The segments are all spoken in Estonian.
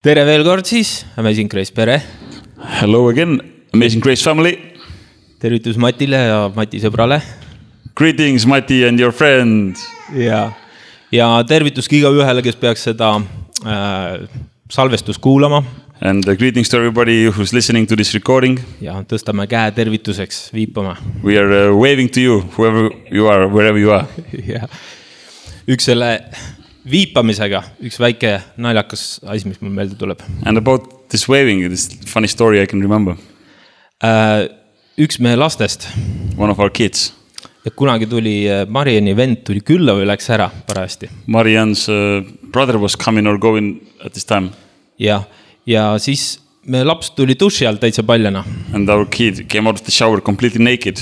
Tere veel kord siis, Amazing Grace pere. Hello again, Amazing Grace family. Tervitus Matile ja Mati sõbrale. Greetings, Mati and your friends. Ja tervitus ka ühele, kes peaks seda salvestust kuulama. And greetings to everybody who's listening to this recording. Ja tõstame käe tervituseks, viipama. We are waving to you, whoever you are, wherever you are. Ja. Üks selle viipamisega, üks väike naljakas asi, mis mul meelde tuleb. And about this waving, this funny story I can remember. Üks meie lastest. One of our kids. Ja kunagi tuli Mariani vend tuli külla või läks ära parajasti. Marian's brother was coming or going at this time. Ja siis meie laps tuli duši alt täitsa paljana. And our kid came out of the shower completely naked.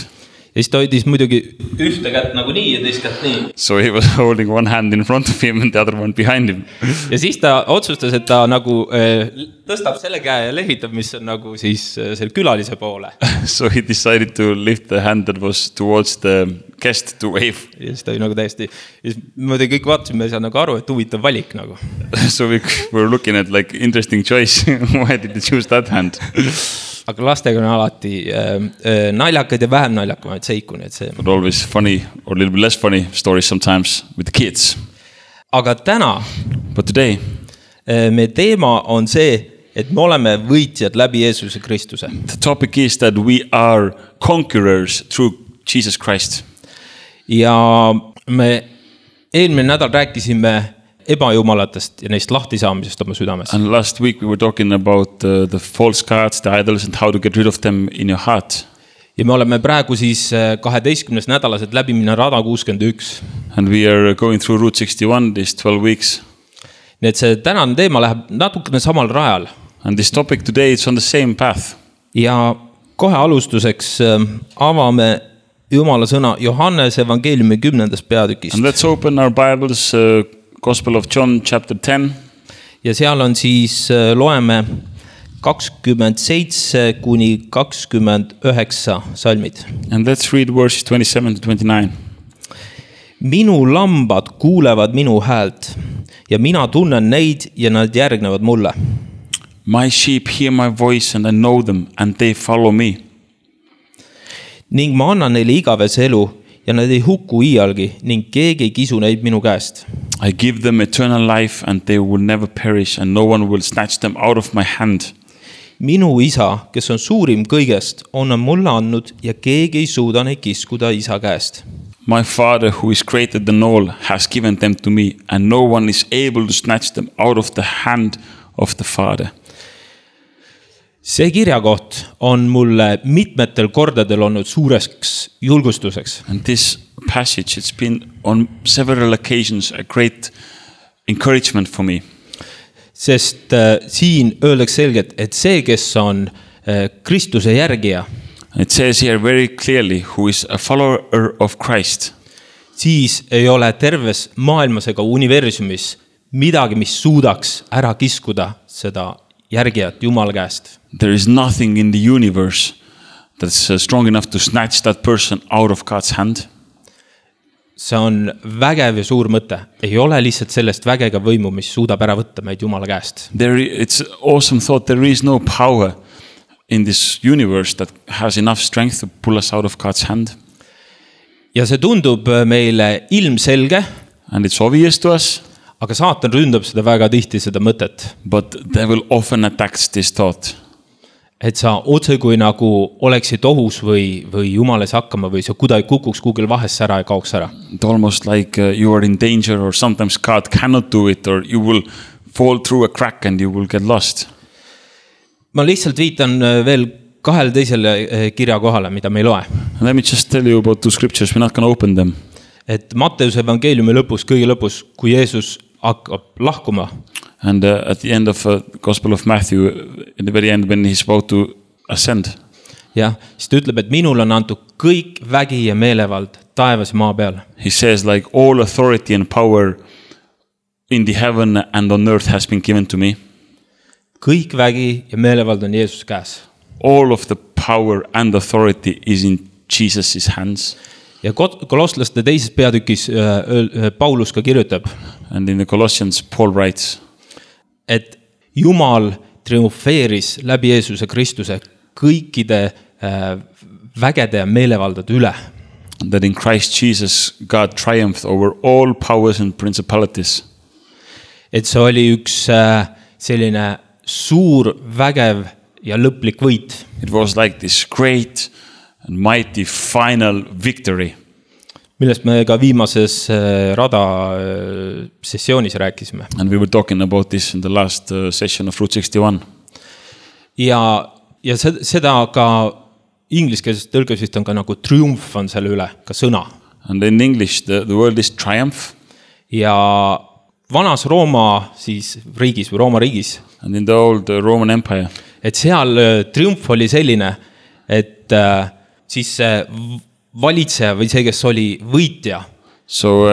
Ja siis ta hoidis muidugi ühte kätt nagu nii ja teist kätt nii. So he was holding one hand in front of him and the other one behind him. Ja siis ta otsustas, et ta nagu tõstab selle käe ja lehvitab, mis on nagu siis selle külalise poole. So he decided to lift the hand that was towards the guest to wave. Ja siis ta oli nagu täiesti, ja siis muidugi kõik vaatasime, me ei saa nagu aru, et huvitav valik nagu. So we were looking at like interesting choice. Why did they choose that hand? Aga lastega on alati naljakad ja vähem naljakamaid seiku. But always funny or a little bit less funny stories sometimes with the kids. Aga täna But today, meie teema on see, et me oleme võitjad läbi Jeesuse Kristuse. the topic is that we are conquerors through Jesus Christ. Ja me eelmine nädal rääkisime ebajumalatest ja neist lahti saamisest oma südames. And last week we were talking about the false gods, the idols and how to get rid of them in your heart. Ja me oleme praegu siis 12. nädalased läbi minna rada 61. And we are going through Route 61 these 12 weeks. Nii et see tänane teema läheb natukene samal rajal. And this topic today is on the same path. Ja kohe alustuseks avame Jumala sõna Johannese evangeeliumi 10. peatükist. And let's open our Bibles, Gospel of John chapter 10. Ja seal on siis loeme 27 kuni 29 salmid. And let's read verses 27 to 29. Minu lambad kuulevad minu häält ja mina tunnen neid ja nad järgnevad mulle. My sheep hear my voice and I know them and they follow me. Ning ma annan neile igavese elu ja nad ei hukku iialgi ning keegi ei kisu neid minu käest. I give them eternal life and they will never perish and no one will snatch them out of my hand. Minu isa, kes on suurim kõigest, on mulle andnud ja keegi ei suuda neid kiskuda isa käest. My Father who is greater than all has given them to me and no one is able to snatch them out of the hand of the Father. See kirjakoht on mulle mitmetel kordadel olnud suureks julgustuseks. And this passage, it's been on several occasions a great encouragement for me. Sest siin öeldakse selgelt, et see, kes on Kristuse järgija, it says here very clearly who is a follower of Christ. Siis ei ole terves maailmas ega universumis midagi, mis suudaks ära kiskuda seda järgijat Jumala käest. There is nothing in the universe that's strong enough to snatch that person out of God's hand. See on vägev ja suur mõte. Ei ole lihtsalt sellest vägega võimu, mis suudab ära võtta meid Jumala käest. It's awesome thought. There is no power in this universe that has enough strength to pull us out of God's hand. Ja see tundub meile ilmselge. And it's obvious to us. Aga saatan ründab seda väga tihti seda mõtet. But devil often attacks this thought. Et sa otse kui nagu oleksid ohus või Jumales hakkama või sa kuidagi kukuks kuugil vahesse ära ja kaoks ära. Almost like you are in danger or sometimes God cannot do it or you will fall through a crack and you will get lost. Ma lihtsalt viitan veel kahele teisele kirja kohale, mida me ei loe. Let me just tell you about two scriptures. We're not going to open them. Et Matteuse evangeeliumi lõpus, kõige lõpus, kui Jeesus hakkab lahkuma. And at the end of Gospel of Matthew, in the very end when he's about to ascend. Ja, siis ta ütleb, et minul on antud kõik vägi ja meelevald taevas ja maa peal. He says like all authority and power in the heaven and on earth has been given to me. Kõik vägi ja meelevald on Jeesus käes. All of the power and authority is in Jesus' hands. Ja Kolosslaste teises peatükis Paulus ka kirjutab. And in the Colossians, Paul writes. Et Jumal triumfeeris läbi Jeesuse Kristuse kõikide vägede ja meelevaldade üle. That in Christ Jesus, God triumphed over all powers and principalities. Et see oli üks selline suur, vägev ja lõplik võit. It was like this great and mighty final victory. Millest me ka viimases rada sessioonis rääkisime. And we were talking about this in the last session of Route 61. Ja seda ka ingliskeelses tõlkes vist on ka nagu triumf on selle üle, ka sõna. And in English, the word is triumph. Ja vanas Rooma siis riigis või Rooma riigis. And in the old Roman Empire. Et seal triumf oli selline, et siis valitseja või see, kes oli võitja. So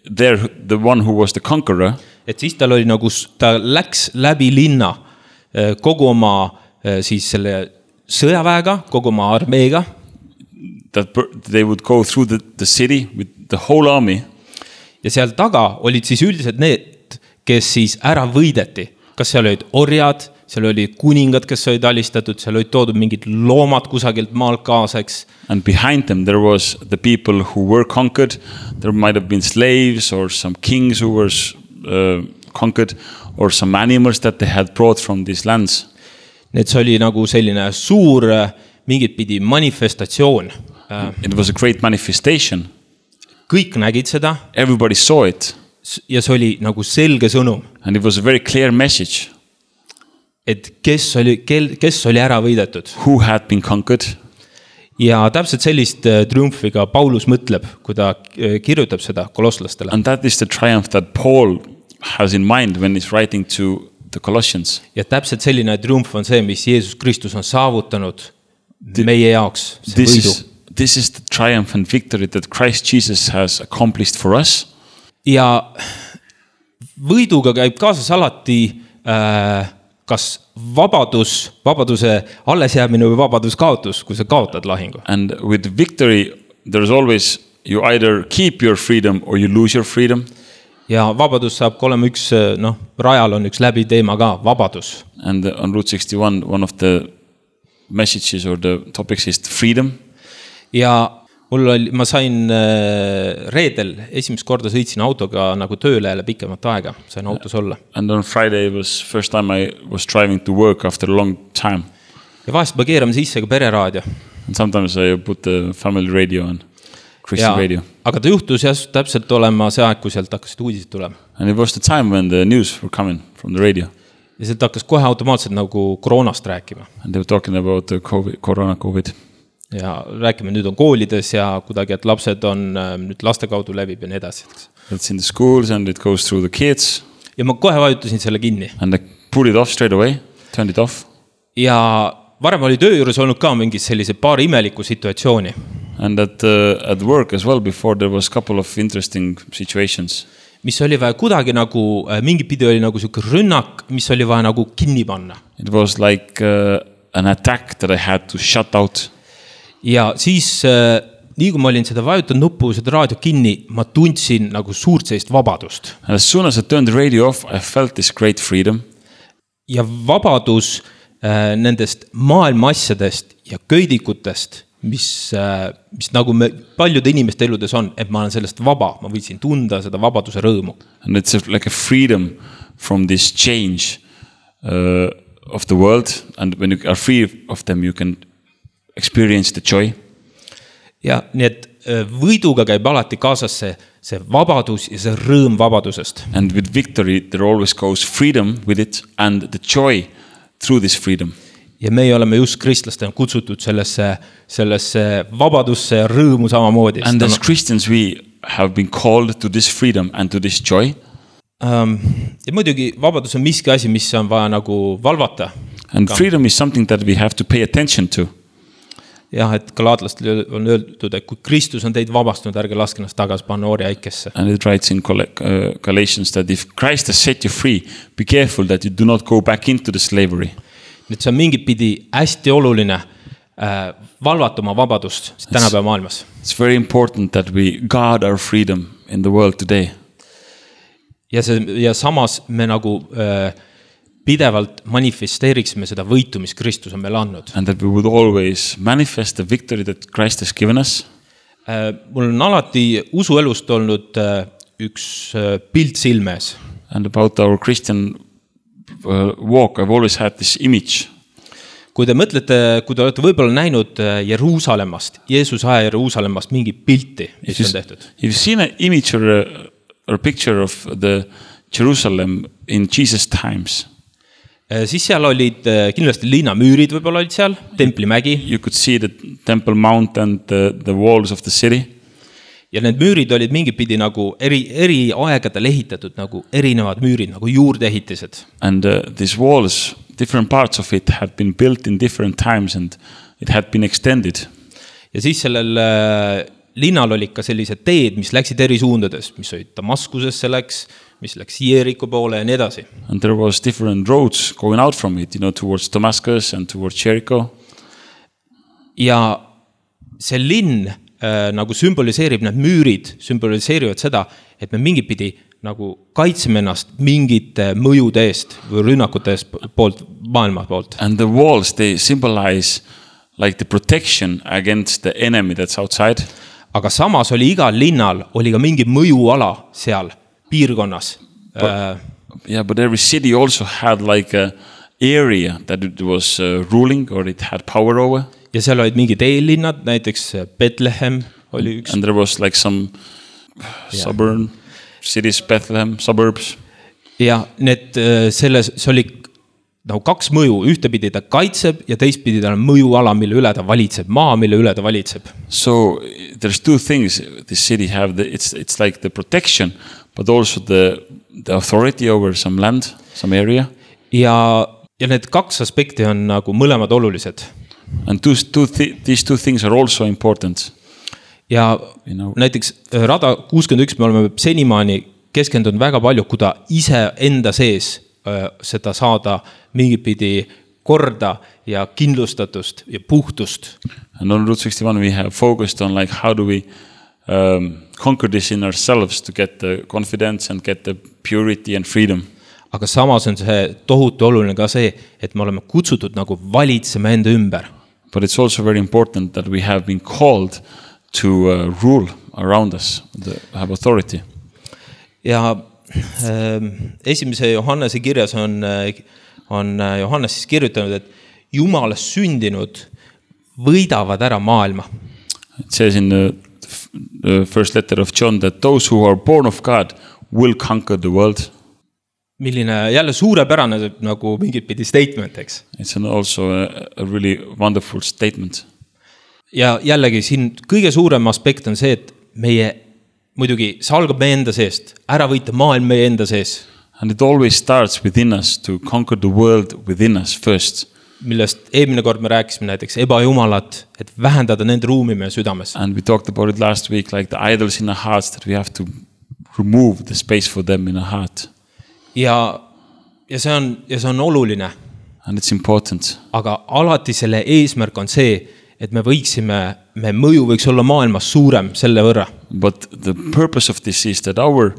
there, the one who was the conqueror. Et siis tal oli nagu, ta läks läbi linna kogu oma siis selle sõjaväega, kogu oma armeega. That they would go through the city with the whole army. Ja seal taga olid siis üldiselt need, kes siis ära võideti. Kas seal olid orjad, seal oli kuningad, kes olid alistatud, seal olid toodud mingid loomad kusagilt maalt kaaseks. And behind them there was the people who were conquered. There might have been slaves or some kings who were conquered or some animals that they had brought from these lands. Need see oli nagu selline suur mingit pidi manifestatsioon. It was a great manifestation. Kõik nägid seda. Everybody saw it. Ja see oli nagu selge sõnum. And it was a very clear message. Et kes oli ära võidetud. Who had been conquered. Ja täpselt sellist triumfiga Paulus mõtleb, kui ta kirjutab seda kolosslastele. And that is the triumph that Paul has in mind when he's writing to the Colossians. Ja täpselt selline triumf on see, mis Jeesus Kristus on saavutanud meie jaoks. This is the triumph and victory that Christ Jesus has accomplished for us. Ja võiduga käib kaasas alati kas vabaduse allesjäämine või vabadus kaotus, kui sa kaotad lahingu. And with victory, there's always, you either keep your freedom or you lose your freedom. Ja vabadus saab olema üks, rajal on üks läbi teema ka, vabadus. And on Route 61, one of the messages or the topics is freedom. Ja ma sain reedel esimest korda sõitsin autoga nagu tööle jälle pikemat aega, sain autos olla. And on Friday was first time I was driving to work after a long time. Ja vahest me keerame sisse ka pereraadio. And sometimes I put the family radio on, Christian radio. Aga ta juhtus täpselt olema see aeg, kui sealt hakkasid uudised tulema. And it was the time when the news were coming from the radio. Ja sealt hakkas kohe automaatselt nagu koroonast rääkima. And they were talking about the COVID. Ja rääkime, nüüd on koolides ja kuidagi, et lapsed on nüüd laste kaudu läbib ja nii edasi. It's in the schools and it goes through the kids. Ja ma kohe vajutasin selle kinni. And I put it off straight away, turned it off. Ja varem oli töö juures olnud ka mingi sellise paar imeliku situatsiooni. And at work as well before there was a couple of interesting situations. Mis oli vaja kuidagi nagu, mingi pidi oli nagu selline rünnak, mis oli vaja nagu kinni panna. It was like an attack that I had to shut out. Ja siis, nii kui ma olin seda vajutanud nuppu, seda raadio kinni, ma tundsin nagu suurt sellist vabadust. And as soon as I turned the radio off, I felt this great freedom. Ja vabadus nendest maailma asjadest ja köidikutest, mis nagu paljude inimeste eludes on, et ma olen sellest vaba, ma võitsin tunda seda vabaduse rõõmu. And it's like a freedom from this change of the world. And when you are free of them, you can experience the joy. Ja nii et võiduga käib alati kaasas see vabadus ja see rõõm vabadusest. And with victory there always goes freedom with it and the joy through this freedom. Ja meie oleme just kristlastena kutsutud sellesse vabadusse ja rõõmu samamoodi. And as Christians we have been called to this freedom and to this joy. Ja muidugi vabadus on miski asi, mis on vaja nagu valvata. And freedom is something that we have to pay attention to. Jah, et galaatlastel on öeldud, et kui Kristus on teid vabastanud, ärge laske ennast tagasi panna orjaikesse. And it writes in Galatians that if Christ has set you free, be careful that you do not go back into the slavery. Nüüd see on mingit pidi hästi oluline valvata oma vabadust tänapäeva maailmas. It's very important that we guard our freedom in the world today. Ja samas me nagu pidevalt manifesteeriksime seda võitu, mis Kristus on meile andnud. And that we would always manifest the victory that Christ has given us. Mul on alati usuelust olnud üks pilt silmes. And about our Christian walk, I've always had this image. Kui te mõtlete, kui te olete võib-olla näinud Jeruusalemmast, Jeesuse aja Jeruusalemmast mingi pilti, mis on tehtud. If you've seen an image or a picture of the Jerusalem in Jesus times, siis seal olid kindlasti linnamüürid võib-olla olid seal, templimägi. You could see the Temple Mount and the walls of the city. Ja need müürid olid mingipidi nagu eri aegadel ehitatud, nagu erinevad müürid, nagu juurdeehitised. And these walls, different parts of it had been built in different times and it had been extended. Ja siis sellel linnal olid ka sellised teed, mis läksid eri suundades, mis olid Damaskusesse läks, mis läks Jericho poole ja nii edasi. And there was different roads going out from it, towards Damascus and towards Jericho. Ja see linn nagu sümboliseerib, need müürid sümboliseerivad seda, et me mingipidi nagu kaitseme ennast mingite mõjude eest või rünnakute eest poolt, maailma poolt. And the walls, they symbolize like the protection against the enemy that's outside. Aga samas oli igal linnal oli ka mingi mõjuala seal piirkonnas. But every city also had like a area that it was ruling or it had power over. Ja seal olid mingid eellinnad, näiteks Bethlehem oli üks. And there was like some suburban cities, Bethlehem, suburbs. Ja need see oli nagu kaks mõju, ühtepidi ta kaitseb ja teistpidi ta on mõjuala, mille üle ta valitseb, maa, mille üle ta valitseb. So there's two things this city have. It's like the protection, but also the authority over some land, some area. Ja need kaks aspekti on nagu mõlemad olulised. And these two things are also important. Ja näiteks Rada 61 me oleme senimaani keskendunud väga palju, kui ta ise enda sees seda saada mingipidi korda ja kindlustatust ja puhtust. And on Route 61 we have focused on like how do we conquer this in ourselves to get the confidence and get the purity and freedom. Aga samas on see tohutu oluline ka see, et me oleme kutsutud nagu valitsema enda ümber. But it's also very important that we have been called to rule around us, have authority. Ja esimese Johannese kirjas on Johannes siis kirjutanud, et Jumalast sündinud võidavad ära maailma. It says in the first letter of John that those who are born of God will conquer the world. Milline jälle suurepärane nagu mingit pidi statement, eks. It's also a really wonderful statement. Ja jällegi siin kõige suurem aspekt on see, et meie muidugi see algab meie enda seest, ära võita maailm meie enda sees. And it always starts within us to conquer the world within us first. Millest eelmine kord me rääkisime näiteks ebajumalat, et vähendada nende ruumi meie südames. And we talked about it last week, like the idols in our hearts, that we have to remove the space for them in our heart. Ja see on oluline. And it's important. Aga alati selle eesmärk on see, et me mõju võiks olla maailmas suurem selle võrra. But the purpose of this is that our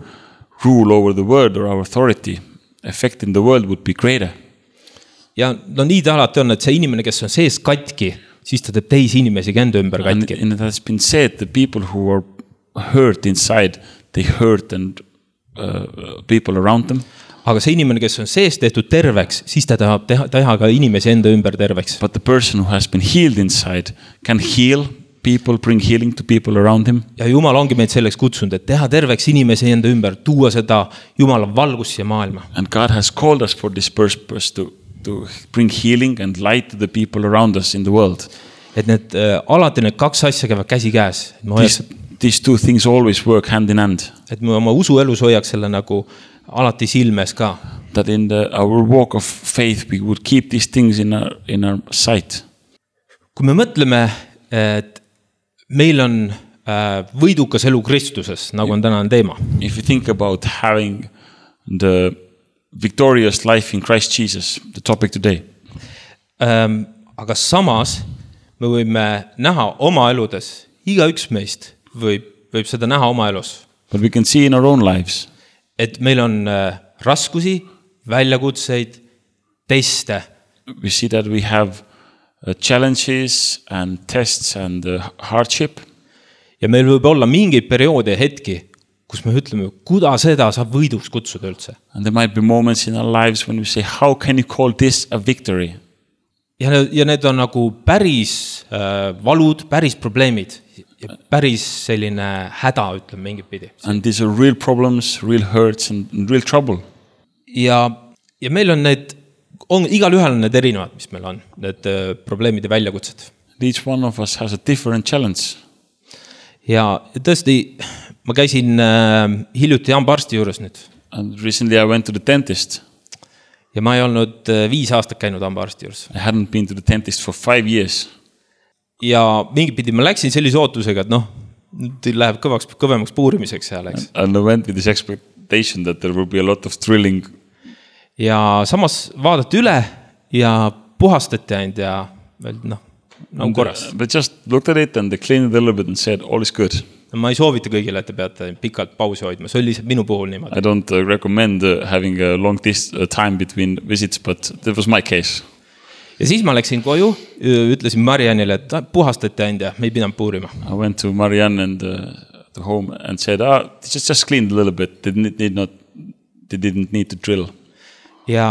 rule over the world or our authority affecting the world would be greater. Ja nii ta alati on, et see inimene, kes on sees katki, siis ta teeb teisi inimesi enda ümber katki. And it has been said, the people who are hurt inside, they hurt and people around them. Aga see inimene, kes on sees tehtud terveks, siis ta tahab teha ka inimesi enda ümber terveks. But the person who has been healed inside can heal people, bring healing to people around him. Ja Jumal ongi meid selleks kutsunud, et teha terveks inimesi enda ümber, tuua seda Jumala valgust siia maailma. And God has called us for this purpose to bring healing and light to the people around us in the world. Et alati need kaks asja käivad käsi käes. These two things always work hand in hand. Et me oma usuelus hoiaks selle nagu alati silmes ka. That in our walk of faith we would keep these things in our sight. Kui me mõtleme, et meil on võidukas elu Kristuses, nagu on tänane teema. If you think about having the victorious life in Christ Jesus, the topic today. Aga samas me võime näha oma eludes, igaüks meist võib seda näha oma elus. But we can see in our own lives. Et meil on raskusi, väljakutseid, teste. We see that we have challenges and tests and hardship. Ja meil võib olla mingeid perioode ja hetki, kus me ütleme, kuidas seda saab võiduks kutsuda üldse. And there might be moments in our lives when we say, how can you call this a victory? Ja need on nagu päris valud, päris probleemid ja päris selline häda, ütleme mingit pidi. And these are real problems, real hurts and real trouble. Ja meil on igal ühel on need erinevad, mis meil on, need probleemid ja väljakutsed. Each one of us has a different challenge. Ja tõesti, ma käisin hiljuti hambaarsti juures nüüd. And recently I went to the dentist. Ja ma ei olnud 5 aastat käinud hambaarsti juures. I hadn't been to the dentist for 5 years. Ja mingit pidi ma läksin sellise ootusega, et nüüd läheb kõvemaks puurimiseks seal, eks. And I went with this expectation that there will be a lot of thrilling. Ja samas vaadati üle ja puhastati ainult ja veel korras. They just looked at it and they cleaned it a little bit and said all is good. Ma ei soovita kõigile, et te peate pikalt pausi hoidma. See oli lihtsalt minu puhul niimoodi. I don't recommend having a long time between visits, but that was my case. Ja siis ma läksin koju, ütlesin Marianile, et puhastati ainult ja me ei pidanud puurima. I went to Marianne and the home and said, just cleaned a little bit. They didn't need to drill. Ja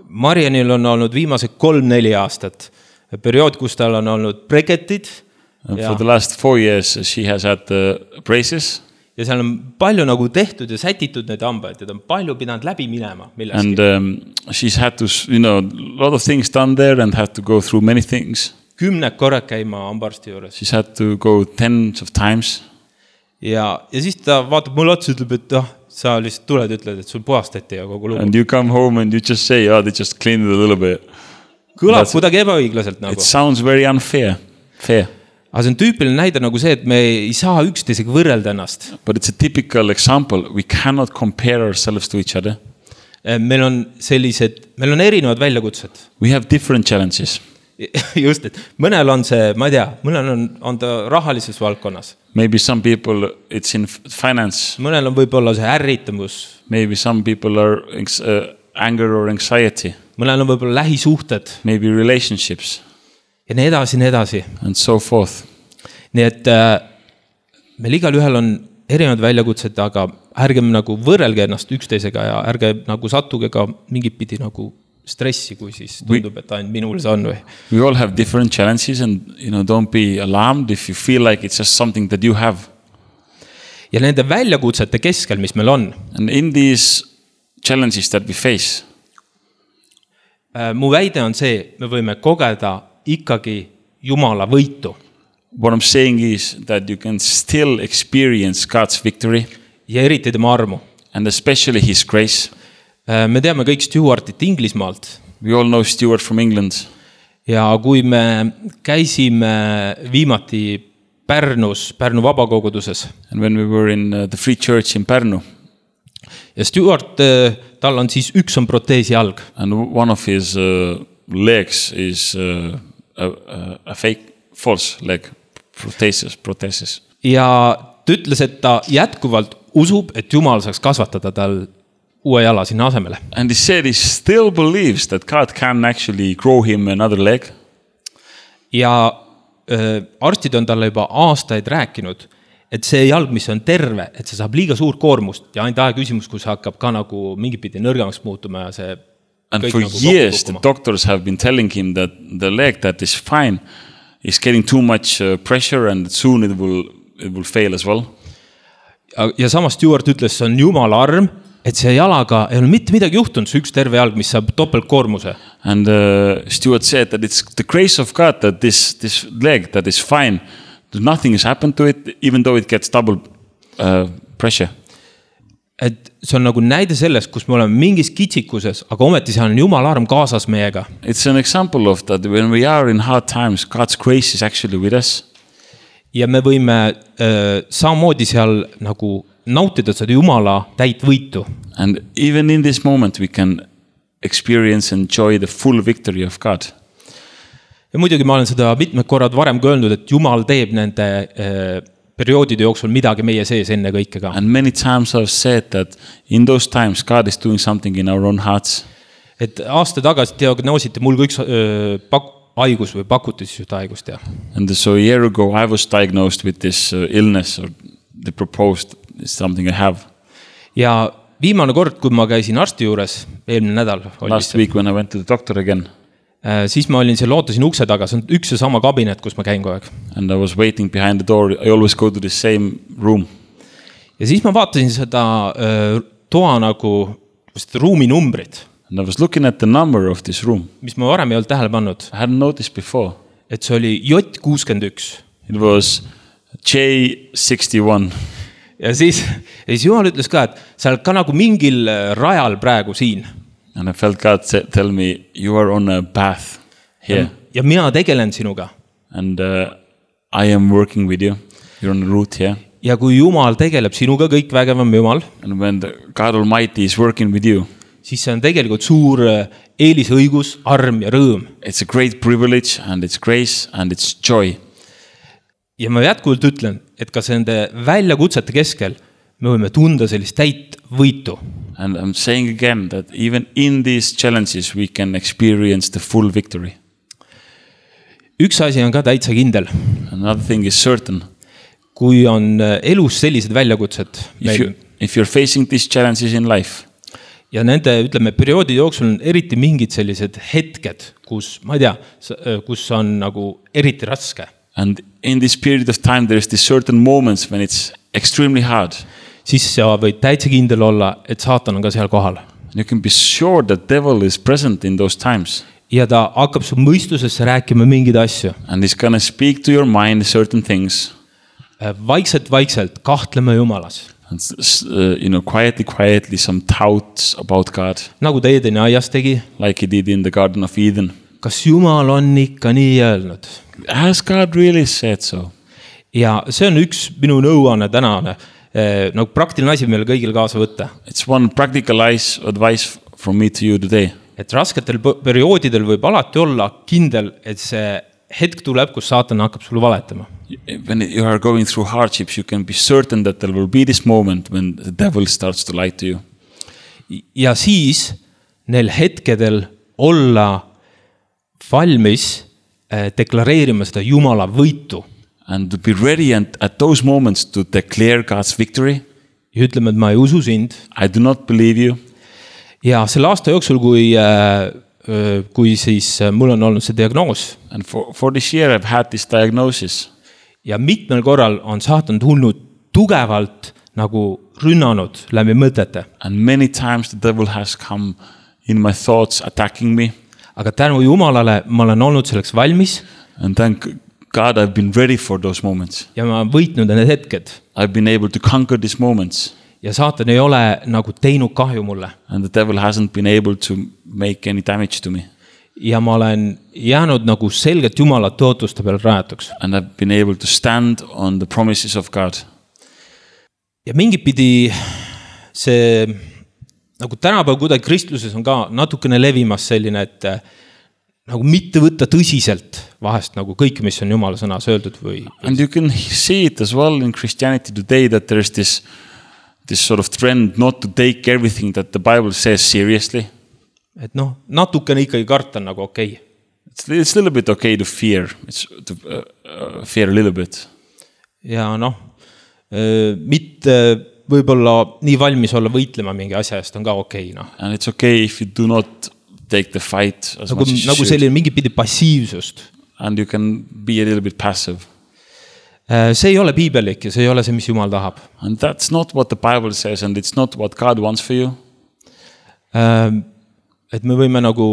Marianil on olnud viimased 3-4 aastat periood, kus tal on olnud breketid. For the last 4 years she has had braces. Ja seal on palju nagu tehtud ja sätitud need hambaid ja ta on palju pidanud läbi minema milleski. And she's had to, a lot of things done there and had to go through many things. 10 korrad käima hambaarsti juures. She's had to go tens of times. Ja siis ta vaatab mulle otsa, ütleb, et sa lihtsalt tuled, ütled, et sul puhastati ja kogu lugu. And you come home and you just say, they just cleaned it a little bit. Kõlab kuidagi ebaõiglaselt nagu. It sounds very unfair. Aga see on tüüpiline näide nagu see, et me ei saa üksteisega võrrelda ennast. But it's a typical example. We cannot compare ourselves to each other. Meil on erinevad väljakutsed. We have different challenges. Just, et mõnel on see, ma ei tea, mõnel on ta rahalises valdkonnas. Maybe some people it's in finance. Mõnel on võib-olla see ärritamus. Maybe some people are anger or anxiety. Mõnel on võib-olla lähisuhted. Maybe relationships. Ja nii edasi. And so forth. Nii et meil igal ühel on erinevad väljakutsed, aga ärgem nagu võrrelge ennast üksteisega ja ärge nagu sattuge ka mingit pidi nagu stressi, kui siis tundub, et ainult minul see on või. We all have different challenges and don't be alarmed if you feel like it's just something that you have. Ja nende väljakutsete keskel, mis meil on. And in these challenges that we face. Mu väide on see, me võime kogeda ikkagi Jumala võitu. What I'm saying is that you can still experience God's victory. Ja eriti tema armu. And especially his grace. Me teame kõik Stuartit Inglismaalt. We all know Stuart from England. Ja kui me käisime viimati Pärnu vabakoguduses. And when we were in the Free Church in Pärnu. Ja Stuart, tal on siis üks on proteesi jalg. And one of his legs is a fake false leg prothesis. Ja ta ütles, et ta jätkuvalt usub, et Jumal saaks kasvatada tal uue jala sinna asemele. And he said he still believes that God can actually grow him another leg. Ja arstid on talle juba aastaid rääkinud, et see jalg, mis on terve, et see saab liiga suur koormust ja ainult aja küsimus, kus hakkab ka nagu mingit pidi nõrgemaks muutuma ja see and for nagu years the doctors have been telling him that the leg that is fine is getting too much pressure and soon it will fail as well. Ja samas Stuart ütles, see on Jumala arm, et see jalaga ei ole mitte midagi juhtunud, see üks terve jalg, mis saab topeltkoormuse. And Stuart said that it's the grace of God that this leg that is fine, nothing has happened to it even though it gets double pressure. Et see on nagu näide sellest, kus me oleme mingis kitsikuses, aga ometi see on Jumala arm kaasas meiega. It's an example of that when we are in hard times, God's grace is actually with us. Ja me võime samamoodi seal nagu nautida seda Jumala täit võitu. And even in this moment we can experience and enjoy the full victory of God. Ja muidugi ma olen seda mitmed korrad varem öelnud, et Jumal teeb nende perioodide jooksul midagi meie sees enne kõike ka. And many times I've said that in those times God is doing something in our own hearts. et aasta tagasi diagnoositi mul ka üks haigus või pakuti siis ühte haigust ja. And so a year ago I was diagnosed with this illness, or they proposed something I have. Ja viimane kord, kui ma käisin arsti juures, eelmine nädal. Last week when I went to the doctor again. Siis ma olin seal, ootasin ukse taga, see on üks ja sama kabinet, kus ma käin kogu aeg. And I was waiting behind the door. I always go to the same room. Ja siis ma vaatasin seda toa nagu ruumi numbrit. And I was looking at the number of this room. Mis ma varem ei olnud tähele pannud. I hadn't noticed before. Et see oli J61. It was J61. Ja siis Jumal ütles ka, et sa oled ka nagu mingil rajal praegu siin. And I felt God tell me, you are on a path here. Ja mina tegelen sinuga. And I am working with you. You're on a route here. Ja kui Jumal tegeleb sinuga, kõik vägevam Jumal. And when God Almighty is working with you. Siis see on tegelikult suur eelisõigus, arm ja rõõm. It's a great privilege and it's grace and it's joy. Ja ma jätkuvalt ütlen, et kas nende väljakutsete keskel me võime tunda sellist täit võitu. And I'm saying again that even in these challenges we can experience the full victory. Üks asi on ka täitsa kindel. Another thing is certain. Kui on elus sellised väljakutsed. If you're facing these challenges in life. Ja nende, ütleme, perioodi jooksul on eriti mingid sellised hetked, kus, ma ei tea, kus on nagu eriti raske. And in this period of time, there is these certain moments when it's extremely hard. Siis sa võid täitsa kindel olla, et saatan on ka seal kohal. You can be sure that devil is present in those times. Ja ta hakkab su mõistusesse rääkima mingeid asju. And he's gonna speak to your mind certain things. Vaikselt kahtlema Jumalas. And, quietly some doubts about God. Nagu ta Edeni aias tegi. Like he did in the Garden of Eden. Kas Jumal on ikka nii öelnud? Has God really said so? Ja see on üks minu nõuanne tänane, nagu praktiline asi meil kõigil kaasa võtta. It's one practical advice from me to you today. Et rasketel perioodidel võib alati olla kindel, et see hetk tuleb, kus saatan hakkab sulle valetama. When you are going through hardships, you can be certain that there will be this moment when the devil starts to lie to you. Ja siis neil hetkedel olla valmis deklareerima seda Jumala võitu. And to be ready and at those moments to declare God's victory. Ja ütleme, et ma ei usu sind. I do not believe you. Ja selle aasta jooksul, kui siis mul on olnud see diagnoos. And for this year I've had this diagnosis. Ja mitmel korral on saatan tulnud tugevalt nagu rünnanud läbi mõtete. And many times the devil has come in my thoughts attacking me. Aga tänu Jumalale ma olen olnud selleks valmis. And thank God I've been ready for those moments. Ja ma võitnud need hetked. I've been able to conquer these moments. Ja saatan ei ole nagu teinud kahju mulle. And the devil hasn't been able to make any damage to me. Ja ma olen jäänud nagu selgelt Jumala tõotuste peal rajatuks. And I've been able to stand on the promises of God. Ja mingit pidi see nagu tänapäeval kuidagi kristluses on ka natukene levimas selline, et nagu mitte võtta tõsiselt vahest nagu kõik, mis on Jumala sõnas öeldud või. And you can see it as well in Christianity today that there is this sort of trend not to take everything that the Bible says seriously. Et natukene ikkagi karta on nagu okei. It's a little bit okay to fear. It's to fear a little bit. Ja mitte võib-olla nii valmis olla võitlema mingi asja eest on ka okei. And it's okay if you do not take the fight as much as you should. Nagu selline mingi pidi passiivsust. And you can be a little bit passive. See ei ole piibellik ja see ei ole see, mis Jumal tahab. And that's not what the Bible says and it's not what God wants for you. Et me võime nagu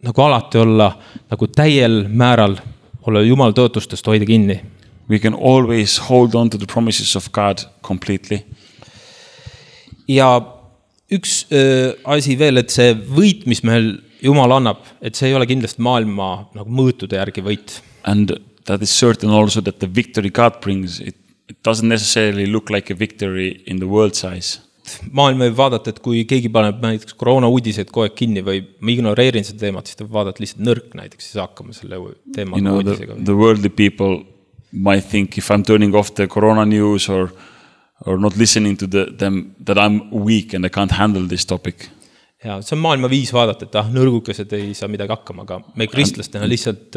alati olla nagu täiel määral olla Jumal tõotustest hoida kinni. We can always hold on to the promises of God completely. Ja üks asi veel, et see võit, mis meil Jumal annab, et see ei ole kindlasti maailma nagu mõõtude järgi võit. And that is certain also that the victory God brings, it doesn't necessarily look like a victory in the world size. Maailm võib vaadata, et kui keegi paneb näiteks koroona uudiseid kogu aeg kinni või ma ignoreerin seda teemat, siis ta vaadata lihtsalt nõrk näiteks, siis hakkame selle teemaga uudisega. The worldly people might think if I'm turning off the corona news or not listening to them that I'm weak and I can't handle this topic. Ja see on maailma viis vaadata, et nõrgukesed ei saa midagi hakkama, aga me kristlastena lihtsalt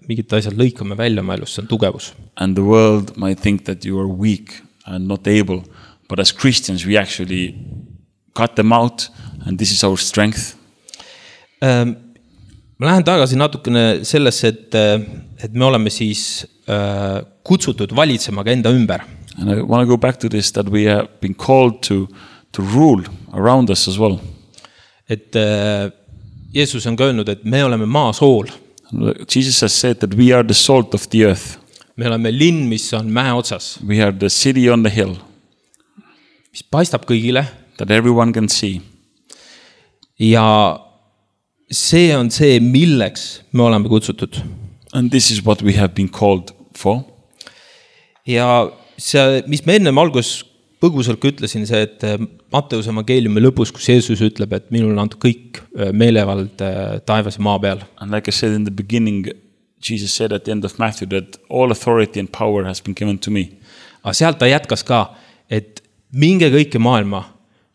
mingid asjad lõikame välja oma elus, see on tugevus. And the world might think that you are weak and not able, but as Christians we actually cut them out and this is our strength. Ma lähen tagasi natukene sellesse, et me oleme siis kutsutud valitsema ka enda ümber. And I want to go back to this, that we have been called to rule around us as well. Et Jeesus on ka öelnud, et me oleme maa sool. Jesus has said that we are the salt of the earth. Me oleme linn, mis on mäe otsas. We are the city on the hill. Mis paistab kõigile. That everyone can see. Ja see on see, milleks me oleme kutsutud. And this is what we have been called for. Ja see, mis me ennem algus põgusalt ütlesin, see, et Matteuse evangeeliumi lõpus, kus Jeesus ütleb, et minul on antud kõik meelevald taevas ja maa peal. And like I said in the beginning, Jesus said at the end of Matthew that all authority and power has been given to me. Aga sealt ta jätkas ka, et minge kõike maailma,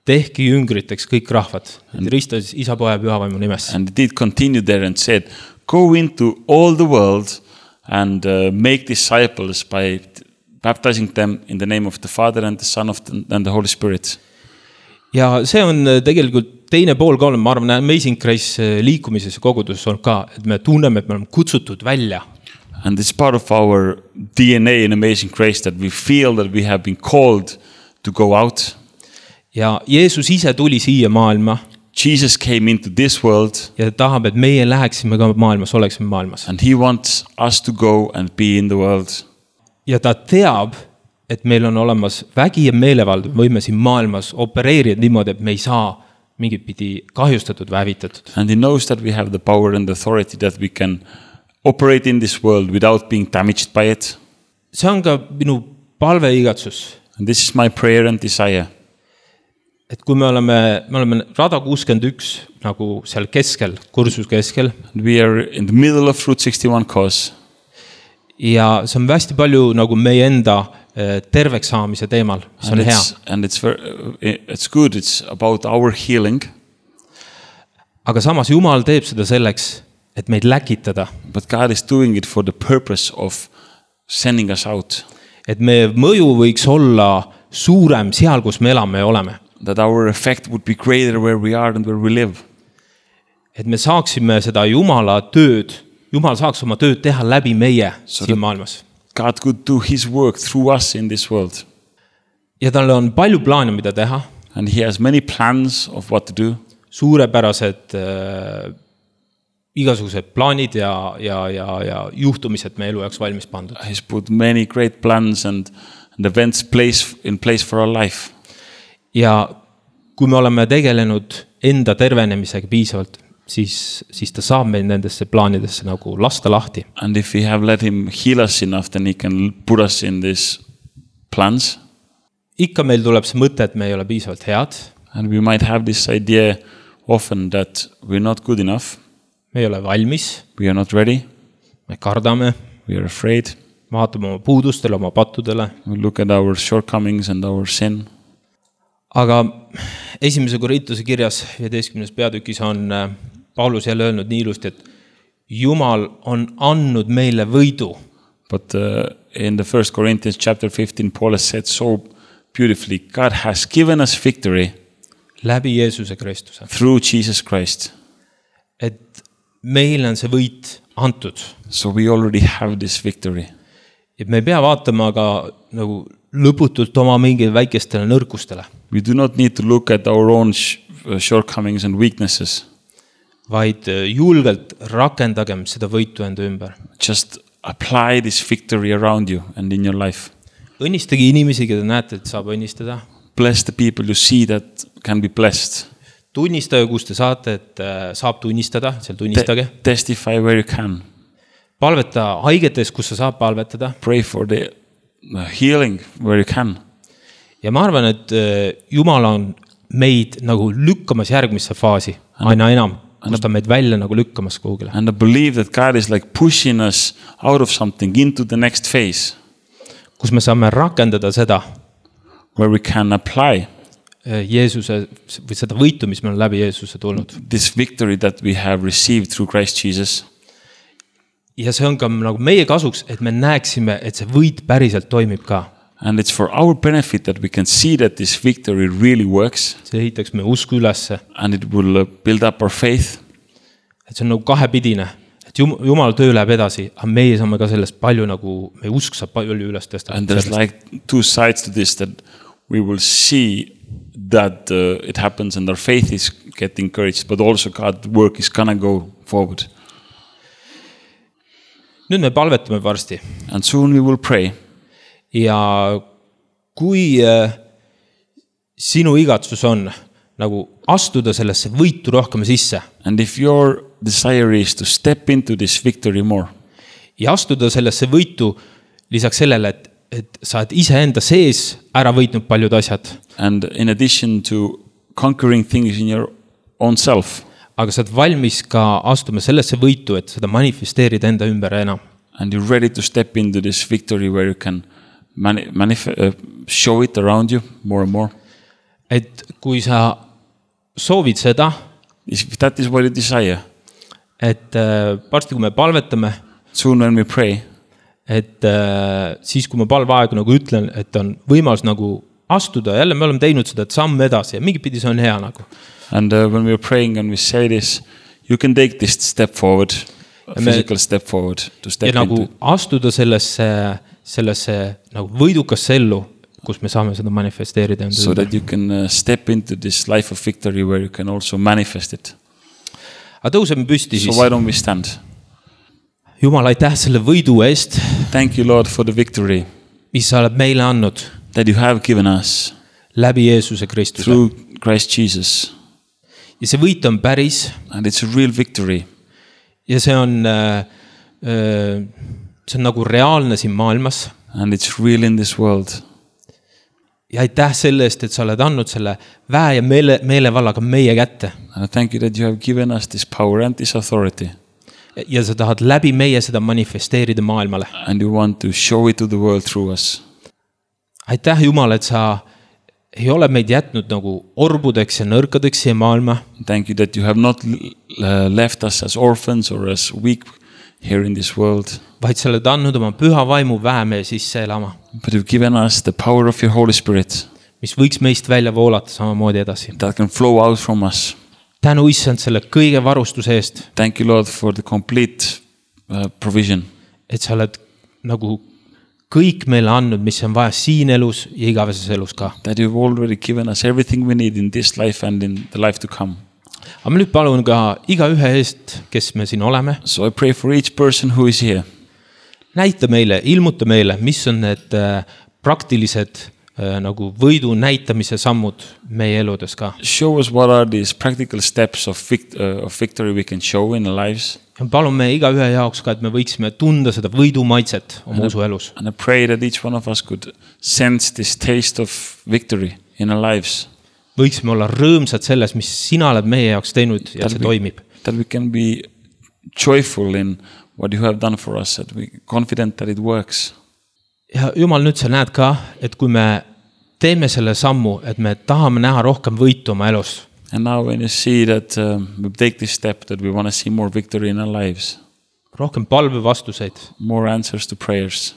tehke jüngriteks kõik rahvad. Ristas Isa, Poja ja Pühavaimu nimes. And he did continue there and said, go into all the world and make disciples by baptizing them in the name of the Father and the Son and the Holy Spirit. Ja see on tegelikult teine pool ka, ma arvan, Amazing Grace liikumises ja koguduses on ka, et me tunneme, et me oleme kutsutud välja. And it's part of our DNA in Amazing Grace that we feel that we have been called to go out. Ja Jeesus ise tuli siia maailma. Jesus came into this world. Ja ta tahab, et meie läheksime ka maailmas, oleksime maailmas. And he wants us to go and be in the world. Ja ta teab, et meil on olemas vägi ja meelevald, võime siin maailmas opereerida niimoodi, et me ei saa mingit pidi kahjustatud või hävitatud. And he knows that we have the power and the authority that we can operate in this world without being damaged by it. See on ka minu palve igatsus. And this is my prayer and desire. Et kui me oleme rada 61 nagu seal keskel, kursus keskel. We are in the middle of Route 61 course. Ja see on hästi palju nagu meie enda terveks saamise teemal, mis on hea. And it's good, it's about our healing. Aga samas Jumal teeb seda selleks, et meid läkitada. But God is doing it for the purpose of sending us out. Et meie mõju võiks olla suurem seal, kus me elame ja oleme. That our effect would be greater where we are and where we live. Et me saaksime seda Jumala tööd, Jumal saaks oma tööd teha läbi meie siin maailmas. God could do his work through us in this world. Ja tal on palju plaane, mida teha. And he has many plans of what to do. Suurepärased igasugused plaanid ja juhtumised meie elu jaoks valmis pandud. He's put many great plans and events in place for our life. Ja kui me oleme tegelenud enda tervenemisega piisavalt, siis ta saab meil nendesse plaanidesse nagu lasta lahti. And if we have let him heal us enough, then he can put us in these plans. Ikka meil tuleb see mõte, et me ei ole piisavalt head. And we might have this idea often that we're not good enough. Me ei ole valmis. We are not ready. Me kardame. We are afraid. Vaatame oma puudustele, oma pattudele. We look at our shortcomings and our sin. Aga esimese Korintuse kirjas 15. peatükis on Paulus jälle öelnud nii ilusti, et Jumal on andnud meile võidu. But in the 1 Corinthians chapter 15, Paul has said so beautifully, God has given us victory läbi Jeesuse Kristuse. Through Jesus Christ. Et meile on see võit antud. So we already have this victory. Et me ei pea vaatama aga nagu lõputult oma mingi väikestele nõrkustele. We do not need to look at our own shortcomings and weaknesses. Vaid julgelt rakendagem seda võitu enda ümber. Just apply this victory around you and in your life. Õnnistage inimesi, keda näete, et saab õnnistada. Bless the people you see that can be blessed. Tunnistage, kus te saate, et saab tunnistada, seal tunnistage. Testify where you can. Palveta haigetes, kus sa saab palvetada. Pray for the healing where you can. Ja ma arvan, et Jumal on meid nagu lükkamas järgmisse faasi, aina enam, kus ta meid välja nagu lükkamas kuhugile. And I believe that God is like pushing us out of something into the next phase. Kus me saame rakendada seda. Where we can apply. Jeesuse või seda võitu, mis meil on läbi Jeesuse tulnud. This victory that we have received through Christ Jesus. Ja see on ka nagu meie kasuks, et me näeksime, et see võit päriselt toimib ka. And it's for our benefit that we can see that this victory really works. See ehitaks meie usku ülesse. And it will build up our faith. Et see on nagu kahepidine, et Jumal töö läheb edasi, aga meie saame ka sellest palju nagu, meie usk saab palju üles tõsta. And there's like two sides to this, that we will see that it happens and our faith is getting encouraged, but also God's work is gonna go forward. Nüüd me palvetame varsti. And soon we will pray. Ja kui sinu igatsus on nagu astuda sellesse võitu rohkem sisse. And if your desire is to step into this victory more. Ja astuda sellesse võitu lisaks sellele, et sa oled iseenda sees ära võitnud paljud asjad. And in addition to conquering things in your own self. Aga sa oled valmis ka astuma sellesse võitu, et seda manifesteerida enda ümber enam. And you're ready to step into this victory where you can show it around you more and more. Et kui sa soovid seda, if that is what you desire. Et varsti kui me palvetame, soon when we pray. Et siis kui ma palveaegu nagu ütlen, et on võimalus nagu astuda, jälle me oleme teinud seda samm edasi ja mingi pidi see on hea nagu. And when we are praying and we say this, you can take this step forward, a physical step forward to step ja nagu into. Astuda sellesse nagu võidukasse ellu, kus me saame seda manifesteerida. So that you can step into this life of victory where you can also manifest it. Aga tõuseme püsti siis. So why don't we stand? Jumal, aitäh selle võidu eest. Thank you, Lord, for the victory. Mis sa oled meile andnud. That you have given us. Läbi Jeesuse Kristuse. Through Christ Jesus. Ja see võit on päris. And it's a real victory. Ja see on nagu reaalne siin maailmas. And it's real in this world. Ja aitäh selle eest, et sa oled andnud selle väe ja meelevallaga meie kätte. And thank you that you have given us this power and this authority. Ja sa tahad läbi meie seda manifesteerida maailmale. And you want to show it to the world through us. Aitäh Jumal, et sa ei ole meid jätnud nagu orbudeks ja nõrkadeks siia maailma. Thank you that you have not left us as orphans or as weak here in this world. Vaid sa oled andnud oma püha vaimu väe meie sisse elama. But you've given us the power of your Holy Spirit. Mis võiks meist välja voolata samamoodi edasi. That can flow out from us. Tänu issand selle kõige varustuse eest. Thank you, Lord, for the complete provision. Et sa oled nagu kõik meile andnud, mis on vaja siin elus ja igaveses elus ka. That you've already given us everything we need in this life and in the life to come. Aga ma nüüd palun ka iga ühe eest, kes me siin oleme. So I pray for each person who is here. Näita meile, ilmuta meile, mis on need praktilised nagu võidu näitamise sammud meie eludes ka. Show us what are these practical steps of victory we can show in our lives. Ja palume iga ühe jaoks ka, et me võiksime tunda seda võidu maitset oma usu elus. And I pray that each one of us could sense this taste of victory in our lives. Võiksime olla rõõmsad selles, mis sina oled meie jaoks teinud ja see toimib. That we can be joyful in what you have done for us, that we confident that it works. Ja Jumal, nüüd sa näed ka, et kui me teeme selle sammu, et me tahame näha rohkem võitu oma elus. And now when you see that we take this step, that we want to see more victory in our lives. Rohkem palvevastuseid. More answers to prayers.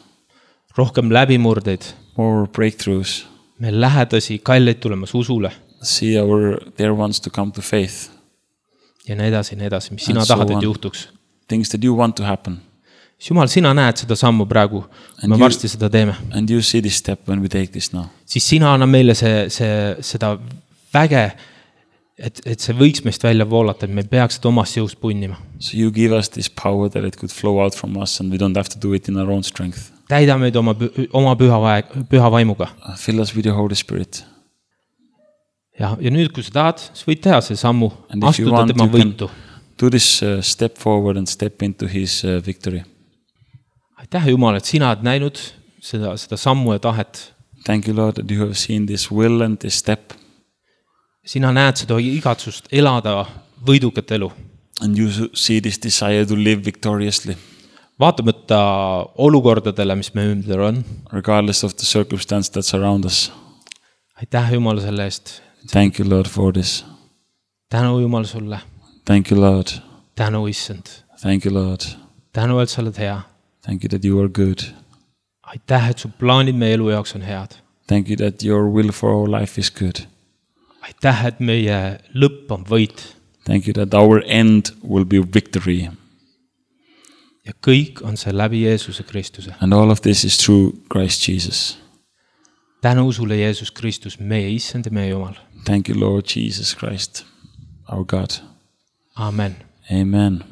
Rohkem läbimurdeid. More breakthroughs. Me lähedasi, kalleid tulemas usule. See our dear ones to come to faith. Ja nii edasi, mis sina tahad, et juhtuks. Things that you want to happen. Jumal, sina näed seda sammu praegu, me varsti seda teeme. And you see this step when we take this now. Siis sina anna meile seda väge, et see võiks meist välja voolata, et me peaks seda omast jõust punnima. So you give us this power that it could flow out from us and we don't have to do it in our own strength. Täida meid oma püha vaimuga. Fill us with your Holy Spirit. Ja nüüd, kui sa tahad, sa võid teha see sammu, astuda tema võitu. Do this step forward and step into his victory. Aitäh Jumal, et sina oled näinud seda sammu ja tahet. Thank you, Lord, that you have seen this will and this step. Sina näed seda igatsust elada võidukat elu. And you see this desire to live victoriously. Vaatamata olukordadele, mis me ümber on. Regardless of the circumstance that's around us. Aitäh Jumal selle eest, Thank you, Lord, for this. tänu Jumal sulle, Thank you, Lord. tänu issand, Thank you, Lord. tänu, et sa oled hea. Thank you that you are good. aitäh, et su plaanid meie elu jaoks on head. Thank you that your will for our life is good. aitäh, et meie lõpp on võit. Thank you that our end will be victory. ja kõik on see läbi Jeesuse Kristuse. And all of this is through Christ Jesus. tänu sulle, Jeesus Kristus, meie issand ja meie Jumal. Thank you, Lord Jesus Christ, our God. Amen. Amen.